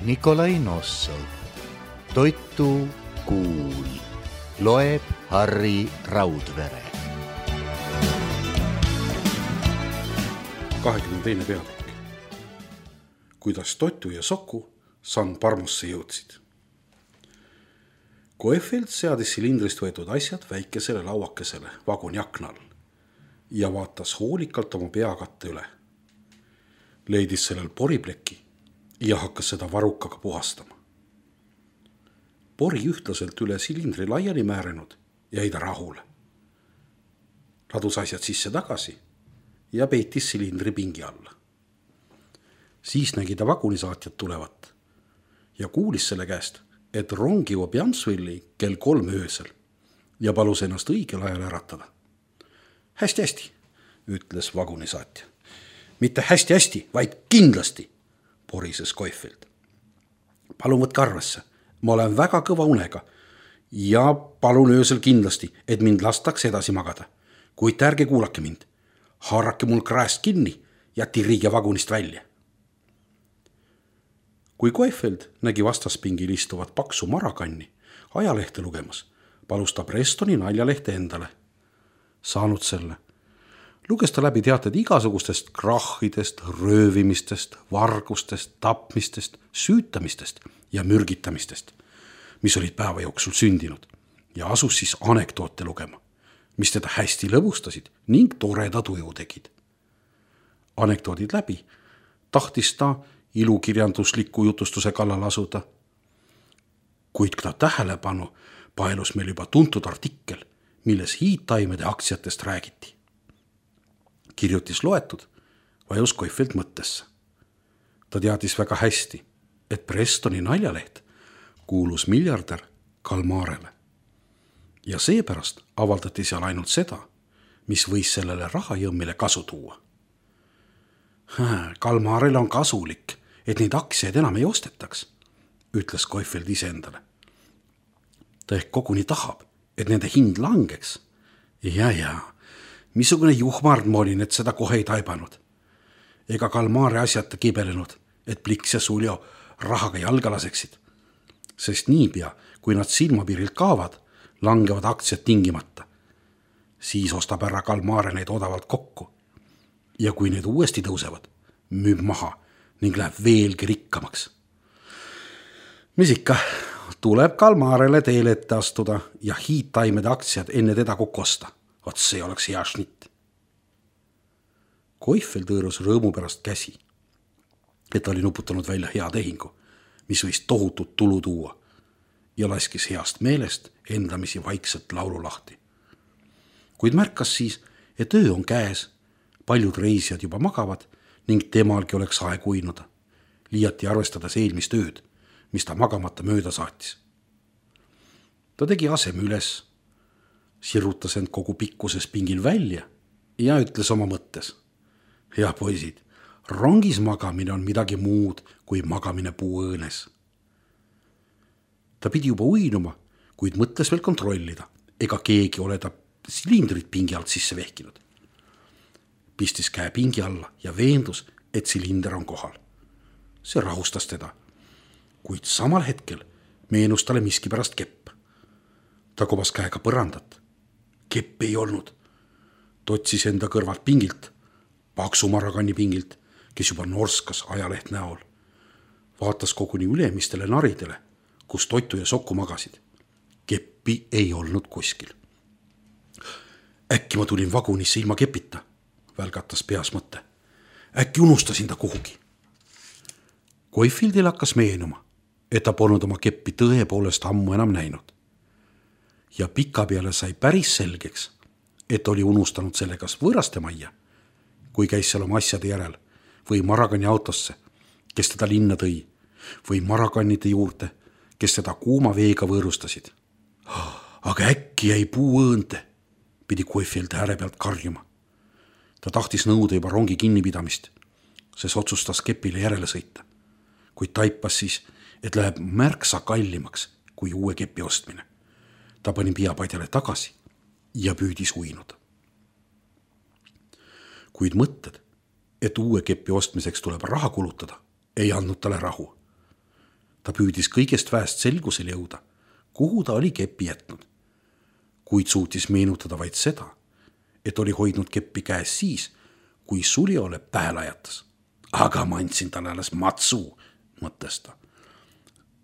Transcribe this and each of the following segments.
Nikolai Nossov. Toitu kuul. Loeb Harri Raudvere. 22. peatükk. Kuidas Totu ja Soku San Parmosse jõudsid. Koefeld seadis silindrist võetud asjad väikesele lauakesele vaguni aknal ja vaatas hoolikalt oma peakatte üle. Leidis sellel poripleki ja hakkas seda varukaga puhastama. Pori ühtlaselt üle silindri laiali määrenud jäi ta rahule. Ladus asjad sisse tagasi ja peitis silindri pingi alla. Siis nägi ta vagunisaatjat tulevat ja kuulis selle käest, et rong jõuab Jansvilli kell 3 öösel ja palus ennast õigel ajal äratada. Hästi, ütles vagunisaatja. Mitte hästi, vaid kindlasti, porises Koefeld. Palun võtke arvesse, ma olen väga kõva unega ja palun öösel kindlasti, et mind lastaks edasi magada. Kuid ärge kuulake mind, haarake mul kraest kinni ja tirige vagunist välja. Kui Koefeld nägi vastaspingil istuvat paksu marakanni ajalehte lugemas, palus ta Prestoni naljalehte endale. Saanud selle, luges ta läbi teated igasugustest krahhidest, röövimistest, vargustest, tapmistest, süütamistest ja mürgitamistest, mis olid päeva jooksul sündinud, ja asus siis anekdoote lugema, mis teda hästi lõbustasid ning toreda tuju tegid. Anekdoodid läbi tahtis ta ilukirjandusliku jutustuse kallal asuda. Kuid ta tähelepanu paelus meil juba tuntud artikkel, milles hiidtaimede aktsiatest räägiti. Kirjutis loetud, vajus Koefeld mõttesse. Ta teadis väga hästi, et Prestoni naljaleht kuulus miljardär Kalmarele. Ja seepärast avaldati seal ainult seda, mis võis sellele rahajõmmile kasu tuua. Kalmarele on kasulik, et neid aktsiaid enam ei ostetaks, ütles Koefeld iseendale. Ta ehk koguni tahab, et nende hind langeks. Ja, missugune juhmard ma olin, et seda kohe ei taibanud. Ega Kalmare asjata kibelenud, et Pliks ja Suljo rahaga jalga laseksid. Sest niipea, kui nad silmapiirilt kaovad, langevad aktsiad tingimata. Siis ostab ära Kalmare neid odavalt kokku. Ja kui need uuesti tõusevad, müüb maha ning läheb veelgi rikkamaks. Mis ikka, tuleb Kalmarele teele ette astuda ja hiidtaimede aktsiad enne teda kokku osta. Vot see oleks hea šnitt. Koefeld hõõrus rõõmu pärast käsi, et oli nuputanud välja hea tehingu, mis võis tohutut tulu tuua, ja laskis heast meelest endamisi vaikselt laulu lahti. Kuid märkas siis, et öö on käes, paljud reisijad juba magavad ning temalgi oleks aeg uinuda, liiati arvestades eelmist ööd, mis ta magamata mööda saatis. Ta tegi aseme üles, sirutas end kogu pikkuses pingil välja ja ütles oma mõttes. Hea poisid, rongis magamine on midagi muud kui magamine puuõõnes. Ta pidi juba uinuma, kuid mõtles veel kontrollida, ega keegi ole ta silindrit pingi alt sisse vehkinud. Pistis käe pingi alla ja veendus, et silinder on kohal. See rahustas teda, kuid samal hetkel meenus talle miski pärast kepp. Ta kobas käega põrandat. Kepp ei olnud. Ta otsis enda kõrvalt pingilt, paksu marakanni pingilt, kes juba norskas ajaleht näol. Vaatas koguni ülemistele naridele, kus Totu ja Soku magasid. Keppi ei olnud kuskil. Äkki ma tulin vagunisse ilma kepita, välgatas peas mõte. Äkki unustasin ta kuhugi. Koefildil hakkas meenuma, et ta polnud oma keppi tõepoolest ammu enam näinud. Ja pika peale sai päris selgeks, et oli unustanud selle kas võõraste majja, kui käis seal oma asjade järel, või Marakanni autosse, kes teda linna tõi, või Marakannide juurde, kes teda kuuma veega võõrustasid. Aga äkki jäi puuõõnte, pidi Koefeld ääre pealt karjuma. Ta tahtis nõuda juba rongi kinnipidamist, sest otsustas kepile järele sõita, kuid taipas siis, et läheb märksa kallimaks kui uue kepi ostmine. Ta pani piapadjale tagasi ja püüdis uinuda. Kuid mõtted, et uue kepi ostmiseks tuleb raha kulutada, ei andnud talle rahu. Ta püüdis kõigest väest selgusel jõuda, kuhu ta oli keppi jätnud, kuid suutis meenutada vaid seda, et oli hoidnud keppi käes siis, kui Suliole pähe lajatas. Aga ma andsin talle alles matsu, mõtles ta.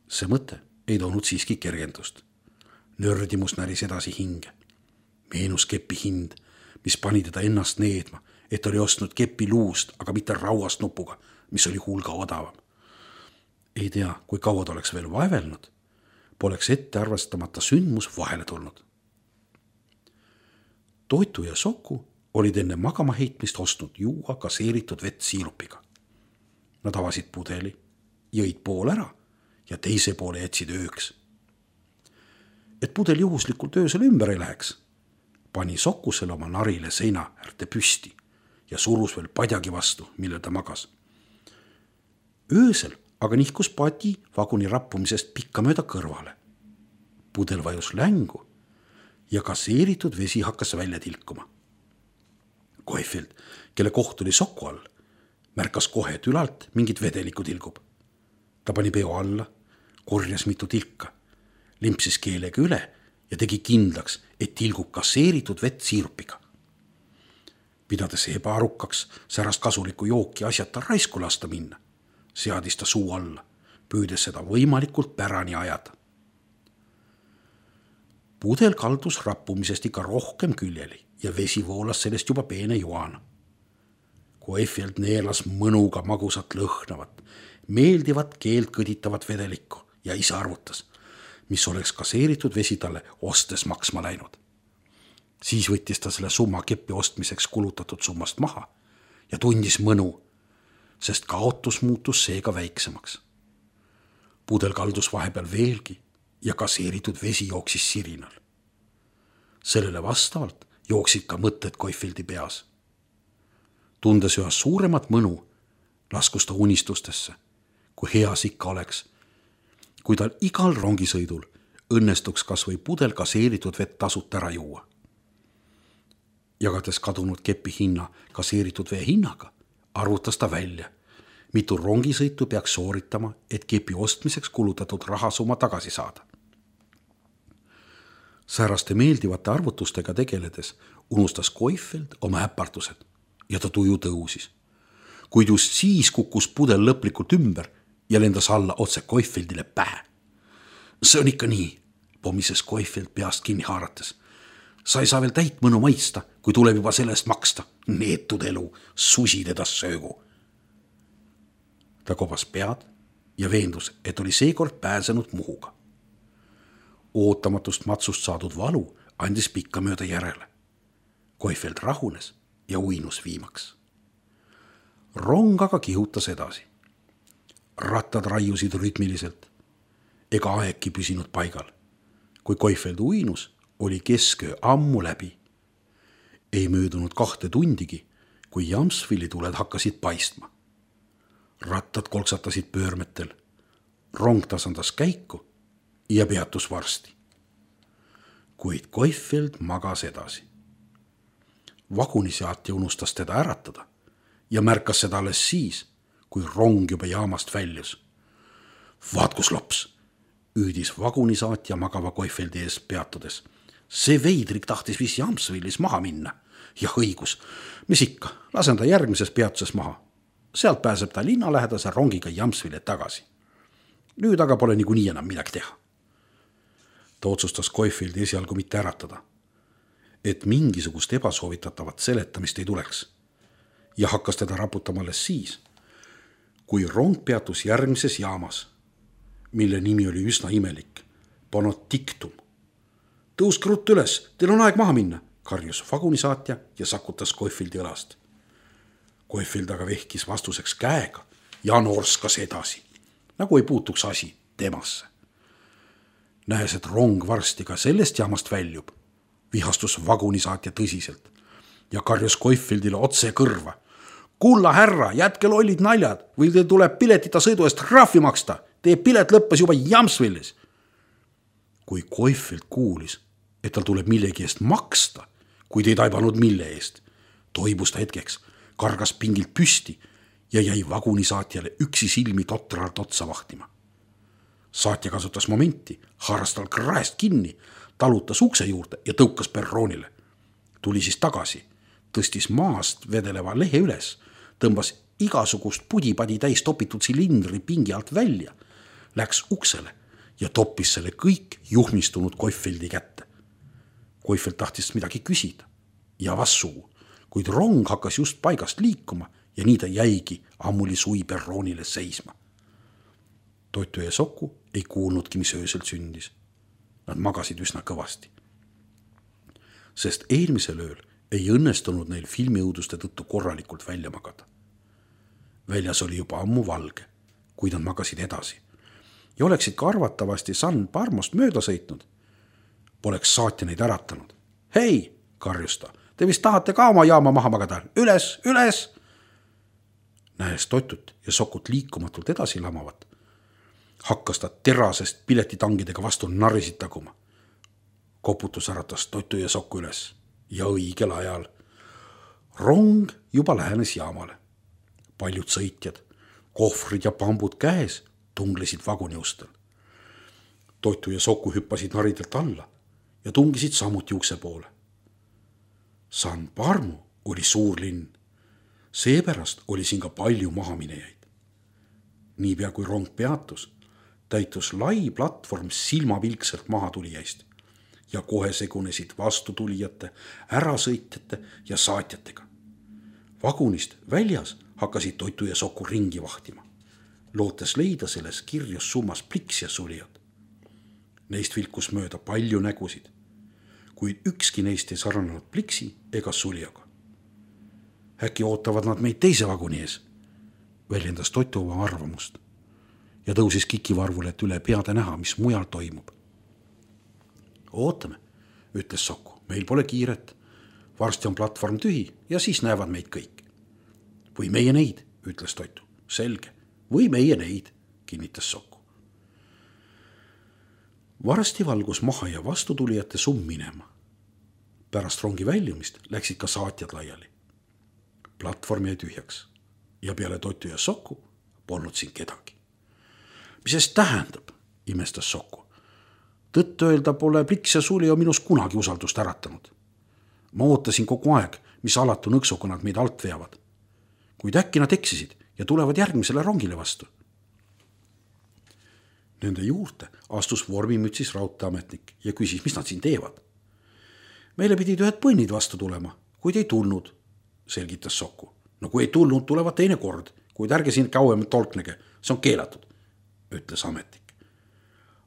See mõte ei toonud siiski kergendust. Nördimus näris edasi hinge. Meenus kepi hind, mis pani teda ennast needma, et oli ostnud kepi luust, aga mitte rauast nupuga, mis oli hulga odavam. Ei tea, kui kaua ta oleks veel vaevelnud, poleks ette arvestamata sündmus vahele tulnud. Toitu ja soku olid enne magama heitmist ostnud juua gaseeritud vett siirupiga. Nad avasid pudeli, jõid pool ära ja teise poole jätsid ööks. Et pudel juhuslikult öösel ümber ei läheks, pani Sokusele oma narile seina äärde püsti ja surus veel padjagi vastu, millel ta magas. Öösel aga nihkus padi vaguni rappumisest pikka mööda kõrvale. Pudel vajus längu ja gaseeritud vesi hakkas välja tilkuma. Koifield, kelle koht oli soku all, märkas kohe, et ülalt mingit vedelikku tilgub. Ta pani peo alla, korjas mitu tilka, limpsis keelega üle ja tegi kindlaks, et tilgub gaseeritud vett siirupiga. Pidades ebaarukaks särast kasulikku jooki asjata raisku lasta minna, seadis ta suu alla, püüdes seda võimalikult pärani ajada. Pudel kaldus rappumisest ikka rohkem küljeli ja vesi voolas sellest juba peene joana. Koifield neelas mõnuga magusat lõhnavat, meeldivat keelt kõditavat vedelikku ja ise arvutas, mis oleks gaseeritud vesi talle ostes maksma läinud. Siis võttis ta selle summa keppi ostmiseks kulutatud summast maha ja tundis mõnu, sest kaotus muutus seega väiksemaks. Pudel kaldus vahepeal veelgi ja gaseeritud vesi jooksis sirinal. Sellele vastavalt jooksid ka mõtted Koifieldi peas. Tundes üha suuremat mõnu, laskus ta unistustesse, kui heas ikka oleks, kui tal igal rongisõidul õnnestuks kas või pudel gaseeritud vett tasut ära juua. Jagades kadunud kepi hinna gaseeritud vee hinnaga, arvutas ta välja, mitu rongisõitu peaks sooritama, et kepi ostmiseks kulutatud rahasumma tagasi saada. Sääraste meeldivate arvutustega tegeledes unustas Koifield oma äpartused ja ta tuju tõusis. Kuid just siis kukkus pudel lõplikult ümber ja lendas alla otse Koifieldile pähe. See on ikka nii, pomises Koifield peast kinni haarates. Sa ei saa veel täit mõnu maista, kui tuleb juba sellest maksta. Neetud elu, susid edas söögu. Ta kobas pead ja veendus, et oli seekord pääsenud muhuga. Ootamatust matsust saadud valu andis pikka mööda järele. Koifield rahunes ja uinus viimaks. Rong aga kihutas edasi. Rattad raiusid rütmiliselt, ega aegki püsinud paigal. Kui Koifield uinus, oli kesköö ammu läbi. Ei möödunud 2 tundigi, kui Jamsvili tuled hakkasid paistma. Rattad kolksatasid pöörmetel, rong tasandas käiku ja peatus varsti. Kuid Koifield magas edasi. Vaguniseatja unustas teda äratada ja märkas seda alles siis, kui rong juba jaamast väljus. Vaat kus lops, üüdis vagunisaatja magava Koifieldi ees peatudes. See veidrik tahtis viis Jamsvilis maha minna. Ja õigus, mis ikka, lasen ta järgmises peatuses maha. Sealt pääseb ta linnalähedase rongiga Jamsvile tagasi. Nüüd aga pole niikuinii enam midagi teha. Ta otsustas Koifieldi esialgu mitte äratada, et mingisugust ebasoovitatavat seletamist ei tuleks ja hakkas teda raputama alles siis, kui rong peatus järgmises jaamas, mille nimi oli üsna imelik, Panodictum. Tõuske ruttu üles, teil on aeg maha minna, karjus vagunisaatja ja sakutas Koifieldi õlast. Koifield aga vehkis vastuseks käega ja norskas edasi, nagu ei puutuks asi temasse. Nähes, et rong varsti ka sellest jaamast väljub, vihastus vagunisaatja tõsiselt ja karjus Koifieldile otse kõrva. Kulla härra, jätke lollid naljad või teil tuleb piletita sõidu eest trahvi maksta. Teie pilet lõppes juba Jamsvilis. Kui Koifield kuulis, et tal tuleb millegi eest maksta, kuid ei taibanud mille eest, toibus ta hetkeks, kargas pingilt püsti ja jäi vagunisaatjale üksi silmi totralt otsa vahtima. Saatja kasutas momenti, haaras tal kraest kinni, talutas ukse juurde ja tõukas perroonile. Tuli siis tagasi, tõstis maast vedeleva lehe üles, tõmbas igasugust pudipadi täis topitud silindri pingi alt välja, läks uksele ja toppis selle kõik juhmistunud Koifeldi kätte. Koifeld tahtis midagi küsida ja vassuu, kuid rong hakkas just paigast liikuma ja nii ta jäigi ammuli sui perroonile seisma. Toitu ja Soku ei kuulnudki, mis öösel sündis. Nad magasid üsna kõvasti. Sest eelmisel ööl ei õnnestunud neil filmiõuduste tõttu korralikult välja magada. Väljas oli juba ammu valge, kui nad magasid edasi. Ja oleksid ka arvatavasti San Parmost mööda sõitnud. Poleks saatja neid äratanud. Hei, karjus ta, te vist tahate ka oma jaama maha magada. Üles, üles! Nähes Totut ja Sokut liikumatult edasi lamavat, hakkas ta terasest piletitangidega vastu narisid taguma. Koputus äratas Totu ja Soku üles ja õigel ajal. Rong juba lähenes jaamale. Paljud sõitjad, kohvrid ja pambud käes, tunglesid vaguni ustel. Totu ja Soku hüppasid naridelt alla ja tungisid samuti ukse poole. San Parmo oli suur linn. Seepärast oli siin ka palju mahaminejaid. Niipea kui rong peatus, täitus lai platvorm silmapilkselt mahatulijaist ja kohe segunesid vastutulijate, ärasõitjate ja saatjatega. Vagunist väljas hakkasid Totu ja Soku ringi vahtima, lootes leida selles kirjus summas pliks ja sulijad. Neist vilkus mööda palju nägusid, kuid ükski neist ei sarnanud pliksi ega sulijaga. Äkki ootavad nad meid teise vaguni ees, väljendas Totu oma arvamust ja tõusis kikivarvule, et üle peade näha, mis mujal toimub. Ootame, ütles Soku, meil pole kiiret. Varsti on platvorm tühi ja siis näevad meid kõik. Või meie neid, ütles Totu. Selge, või meie neid, kinnitas Soku. Varsti valgus maha ja vastutulijate summ minema. Pärast rongi väljumist läksid ka saatjad laiali. Platvorm jäi tühjaks ja peale Totu ja Soku polnud siin kedagi. Mis eest tähendab, imestas Soku. Tõtt öelda pole pliks ja sulio minus kunagi usaldust äratanud. Ma ootasin kogu aeg, mis alatu nõksuga nad meid alt veavad. Kuid äkki nad eksisid ja tulevad järgmisele rongile vastu. Nende juurde astus vormimütsis raudteeametnik ja küsis, mis nad siin teevad. Meile pidid ühed põnnid vastu tulema, kuid ei tulnud, selgitas Soku. No kui ei tulnud, tulevad teine kord, kuid ärge siin kauem tolknege, see on keelatud, ütles ametnik.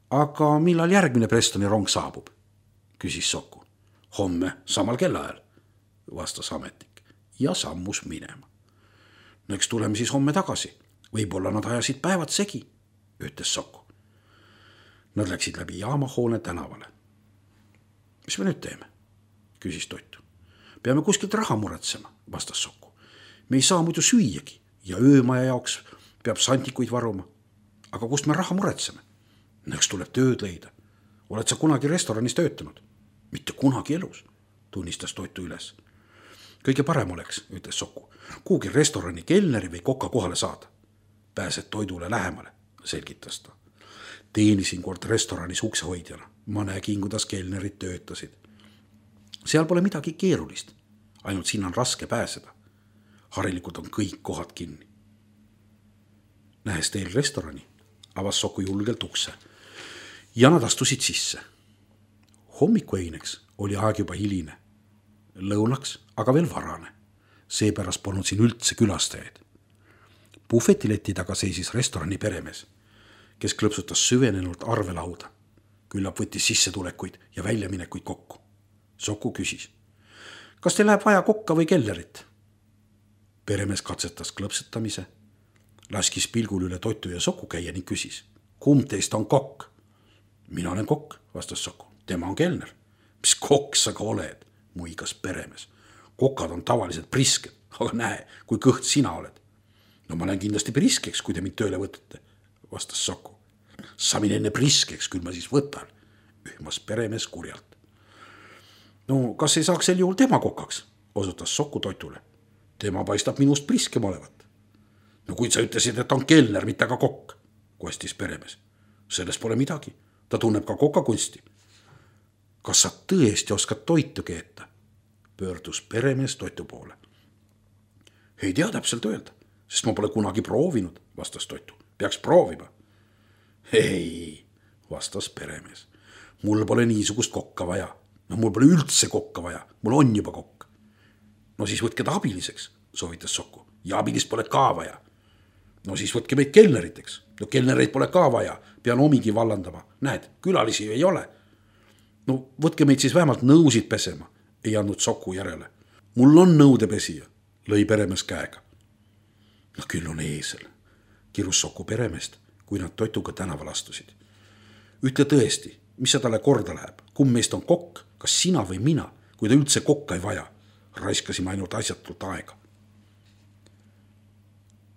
Aga millal järgmine Prestoni rong saabub, küsis Soku. Homme samal kellaajal, vastas ametnik ja sammus minema. No eks tuleme siis homme tagasi, võib-olla nad ajasid päevad segi, ütles Soku. Nad läksid läbi jaamahoone tänavale. Mis me nüüd teeme, küsis Totu. Peame kuskilt raha muretsema, vastas Soku. Me ei saa muidu süüagi ja öömaja jaoks peab santikuid varuma. Aga kust me raha muretseme? Eks tuleb tööd leida. Oled sa kunagi restoranis töötanud? Mitte kunagi elus, tunnistas Totu üles. Kõige parem oleks, ütles Soku, kuhugi restorani kelneri või koka kohale saada. Pääsed toidule lähemale, selgitas ta. Teenisin kord restoranis uksehoidjana. Ma nägin, kuidas kelnerid töötasid. Seal pole midagi keerulist, ainult sinna on raske pääseda. Harilikult on kõik kohad kinni. Nähes teel restorani, avas Soku julgelt ukse ja nad astusid sisse. Hommikueineks oli aeg juba hiline. Lõunaks aga veel varane. Seepärast polnud siin üldse külastajaid. Puhvetileti taga seisis restorani peremees, kes klõpsutas süvenenult arvelauda. Küllap võttis sissetulekuid ja väljaminekuid kokku. Soku küsis, kas teil läheb vaja kokka või kellerit? Peremees katsetas klõpsetamise, laskis pilgul üle Totu ja Soku käia ning küsis, kumb teist on kokk? Mina olen kokk, vastas Soku. Tema on kelner. Mis kokk sa ka oled, muigas peremees. Kokad on tavaliselt prisked, aga näe, kui kõht sina oled. No ma lähen kindlasti priskeks, kui te mind tööle võtate, vastas Soku. Sa mine enne priskeks, küll ma siis võtan, ühmas peremees kurjalt. No kas ei saaks sel juhul tema kokaks, osutas Soku Totule. Tema paistab minust priskem olevat. No kui sa ütlesid, et on kelner, mitte ka kokk, kostis peremees. Sellest pole midagi, ta tunneb ka kokakunsti. Kas sa tõesti oskad toitu keeta? Pöördus peremees Toitu poole. Ei tea täpselt öelda, sest ma pole kunagi proovinud, vastas Toitu. Peaks proovima. Ei, vastas peremees. Mul pole niisugust kokka vaja. No mul pole üldse kokka vaja, mul on juba kokk. No siis võtke ta abiliseks, soovitas Soku. Ja abilist pole ka vaja. No siis võtke meid kelneriteks. No kelnereid pole ka vaja, pean omigi vallandama. Näed, külalisi ei ole. No võtke meid siis vähemalt nõusid pesema, ei andnud Soku järele. Mul on nõudepesija, lõi peremees käega. No küll on eesel, kirus Soku peremeest, kui nad Toituga tänaval astusid. Ütle tõesti, mis see talle korda läheb? Kumb meist on kokk, kas sina või mina, kui ta üldse kokka ei vaja? Raiskasime ainult asjatult aega.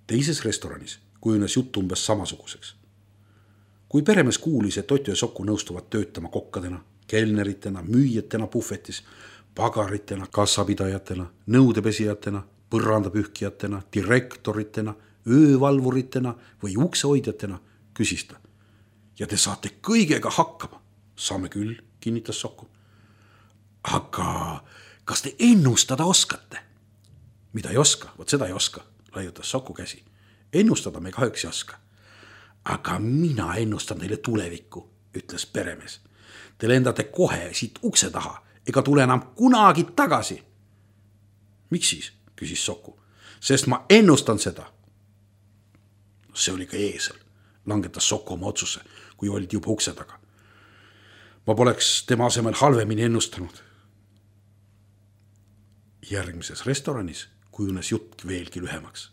Teises restoranis kujunes jutt umbes samasuguseks. Kui peremees kuulis, et Toitu ja Soku nõustuvad töötama kokkadena, kelneritena, müüjatena puhvetis, pagaritena, kassapidajatena, nõudepesijatena, põrandapühkijatena, direktoritena, öövalvuritena või uksehoidjatena, küsis ta. Ja te saate kõigega hakkama. Saame küll, kinnitas Soku. Aga kas te ennustada oskate? Mida ei oska? Vot seda ei oska, laiutas Soku käsi. Ennustada me kahjuks ei oska. Aga mina ennustan teile tulevikku, ütles peremees. Te lendate kohe siit ukse taha, ega tule enam kunagi tagasi. Miks siis, küsis Soku. Sest ma ennustan seda. See oli ka eesel, langetas Soku oma otsuse, kui olid juba ukse taga. Ma poleks tema asemel halvemini ennustanud. Järgmises restoranis kujunes jutt veelgi lühemaks.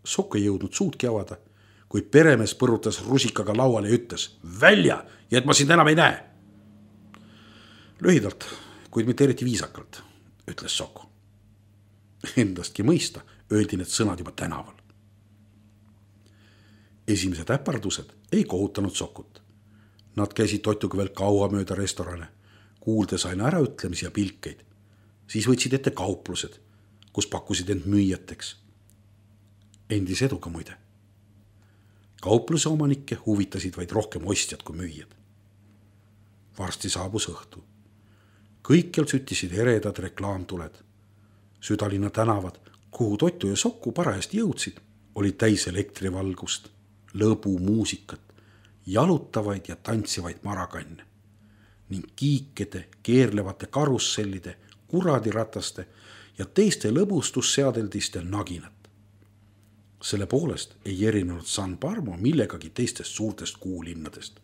Soku ei jõudnud suudki avada, kui peremees põrutas rusikaga lauale ja ütles välja ja et ma sind enam ei näe. Lühidalt, kuid mitte eriti viisakalt, ütles Soku. Endastki mõista öeldi need sõnad juba tänaval. Esimesed äpardused ei kohutanud Sokut. Nad käisid Toituga veel kaua mööda restorane, kuuldes aina äraütlemisi ja pilkeid. Siis võtsid ette kauplused, kus pakkusid end müüjateks. Endis eduga muide. Kaupluse omanikke huvitasid vaid rohkem ostjad kui müüjad. Varsti saabus õhtu. Kõikjal süttisid eredad reklaamtuled. Südalinna tänavad, kuhu Toitu ja Soku parajasti jõudsid, olid täis elektrivalgust, lõbu muusikat, jalutavaid ja tantsivaid marakanne ning kiikede, keerlevate karussellide, kuradirataste ja teiste lõbustusseadeldiste naginat. Selle poolest ei erinenud San Parmo millegagi teistest suurtest kuulinnadest.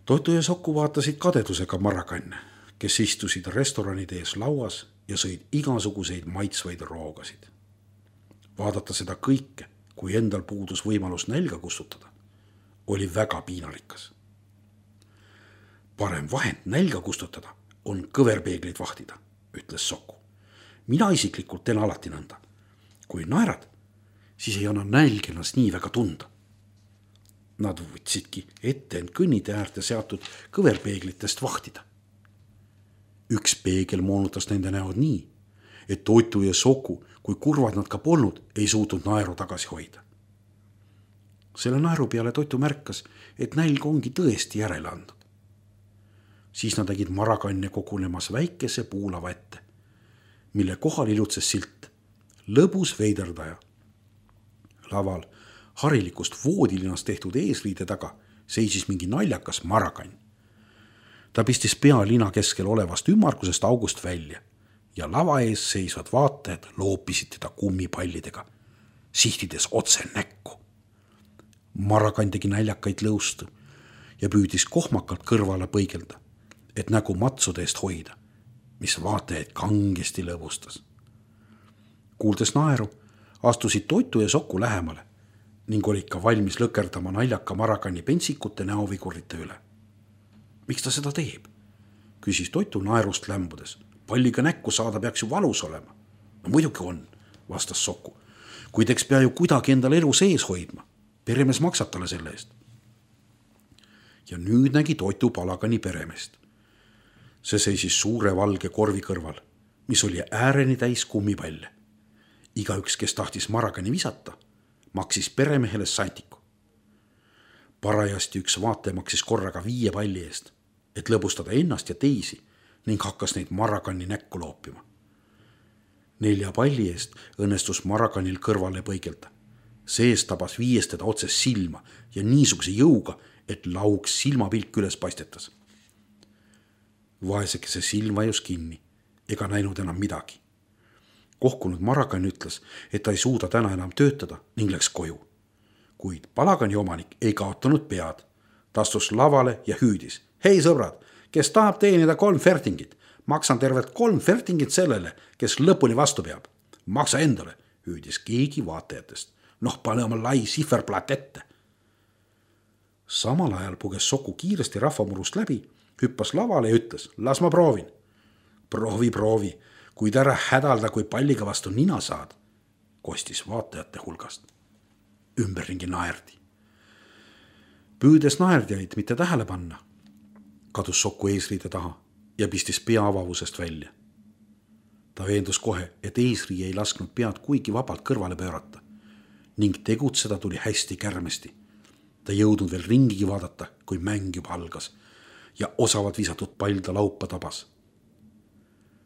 Toitu ja Soku vaatasid kadedusega marakanne, kes istusid restoranide ees lauas ja sõid igasuguseid maitsvaid roogasid. Vaadata seda kõike, kui endal puudus võimalus nälga kustutada, oli väga piinarikas. Parem vahend nälga kustutada on kõverpeegleid vahtida, ütles Soku. Mina isiklikult teen alati nõnda. Kui naerad, siis ei anna nälg ennast nii väga tunda. Nad võtsidki ette end kõnnide äärde seatud kõverpeeglitest vahtida. Üks peegel moonutas nende näod nii, et Toitu ja Soku, kui kurvad nad ka polnud, ei suutnud naeru tagasi hoida. Selle naeru peale Toitu märkas, et nälg ongi tõesti järele andnud. Siis nad nägid marakanne kogunemas väikese puulava ette, mille kohal ilutses silt lõbus veiderdaja. Laval harilikust voodilinast tehtud eesriide taga seisis mingi naljakas marakann. Ta pistis pea lina keskel olevast ümmargusest august välja ja lava ees seisvad vaatajad loopisid teda kummipallidega, sihtides otse näkku. Marakann tegi näljakaid lõustu ja püüdis kohmakalt kõrvale põigelda, et nägu matsude eest hoida, mis vaatajaid kangesti lõbustas. Kuuldes naeru, astusid Toitu ja Soku lähemale ning olid ka valmis lõkerdama naljaka marakanni pentsikute näovigurite üle. Miks ta seda teeb? Küsis Toitu naerust lämbudes. Palliga näkku saada peaks ju valus olema. No muidugi on, vastas Soku. Kuid eks pea ju kuidagi endal elu sees hoidma. Peremees maksab talle selle eest. Ja nüüd nägi Toitu palagani peremeest. See seisis suure valge korvi kõrval, mis oli ääreni täis kummipalle. Igaüks, kes tahtis marakani visata, maksis peremehele santiku. Parajasti üks vaataja maksis korraga 5 palli eest, et lõbustada ennast ja teisi ning hakkas neid Marakanni näkku loopima. 4 palli eest õnnestus Marakanil kõrvale põigelda. Sees tabas 5 teda otse silma ja niisuguse jõuga, et lauks silmapilk üles paistetas. Vaesekese silm vajus kinni ega näinud enam midagi. Kohkunud Marakan ütles, et ta ei suuda täna enam töötada ning läks koju. Kuid palagani omanik ei kaotanud pead. Ta astus lavale ja hüüdis. Hei sõbrad, kes tahab teenida 3 fertingit, maksan tervelt 3 fertingit sellele, kes lõpuni vastu peab. Maksa endale, hüüdis keegi vaatajatest. Pane oma lai sihverplaat ette. Samal ajal puges Soku kiiresti rahvamurust läbi, hüppas lavale ja ütles, las ma proovin. Proovi, kuid ära hädalda, kui palliga vastu nina saad, kostis vaatajate hulgast. Ümberringi naerdi. Püüdes naerdijaid mitte tähele panna, kadus Soku eesriide taha ja pistis pea avavusest välja. Ta veendus kohe, et eesrii ei lasknud pead kuigi vabalt kõrvale pöörata ning tegutseda tuli hästi kärmesti. Ta jõudnud veel ringigi vaadata, kui mäng juba algas ja osavalt visatud pall ta laupa tabas.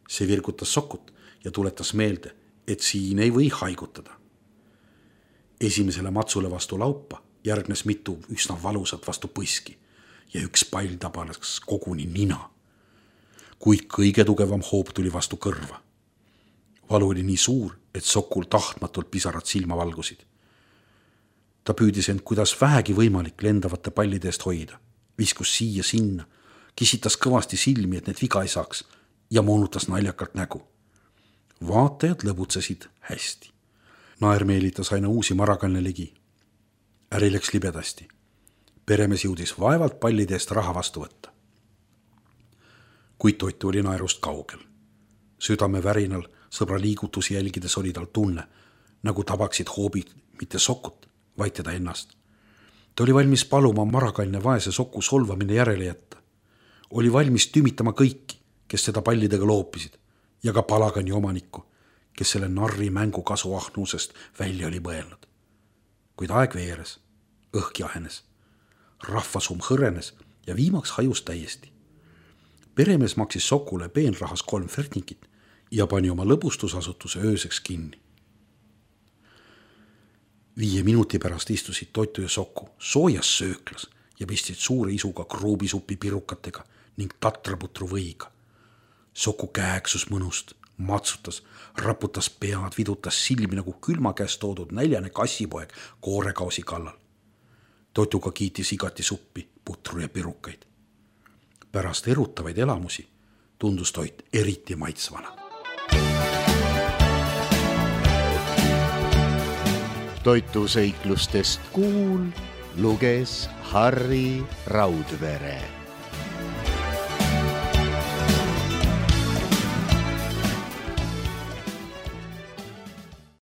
See virgutas Sokut ja tuletas meelde, et siin ei või haigutada. Esimesele matsule vastu laupa järgnes mitu üsna valusat vastu põski ja üks pall tabas koguni nina. Kuid kõige tugevam hoop tuli vastu kõrva. Valu oli nii suur, et Sokul tahtmatult pisarad silma valgusid. Ta püüdis end kuidas vähegi võimalik lendavate pallide eest hoida. Viskus siia sinna, kisitas kõvasti silmi, et need viga ei saaks ja moonutas naljakalt nägu. Vaatajad lõbutsesid hästi. Naer meelitas aina uusi Marakanne ligi. Äri läks libedasti. Peremees jõudis vaevalt pallide eest raha vastu võtta. Kuid Toitu oli naerust kaugel. Südame värinal sõbra liigutusi jälgides oli tal tunne, nagu tabaksid hoobid mitte Sokut, vaid teda ennast. Ta oli valmis paluma Marakanne vaese Soku solvamine järele jätta. Oli valmis tümitama kõiki, kes seda pallidega loopisid ja ka palagani omanikku, kes selle narri mängu kasuahnusest välja oli mõelnud. Kuid aeg veeres, õhk jahenes, rahvasum hõrenes ja viimaks hajus täiesti. Peremees maksis Sokule peenrahas 3 fertingit ja pani oma lõbustusasutuse ööseks kinni. 5 minuti pärast istusid Toitu ja Soku soojas sööklas ja pistsid suure isuga kruubisupi pirukatega ning tatraputru võiga. Soku kääksus mõnust, matsutas, raputas pead, vidutas silmi nagu külma käest toodud näljane kassipoeg koorekausi kallal. Toituga kiitis igati suppi, putru ja pirukaid. Pärast erutavaid elamusi tundus Toit eriti maitsvana. Toitu seiklustest kuul luges Harri Raudvere.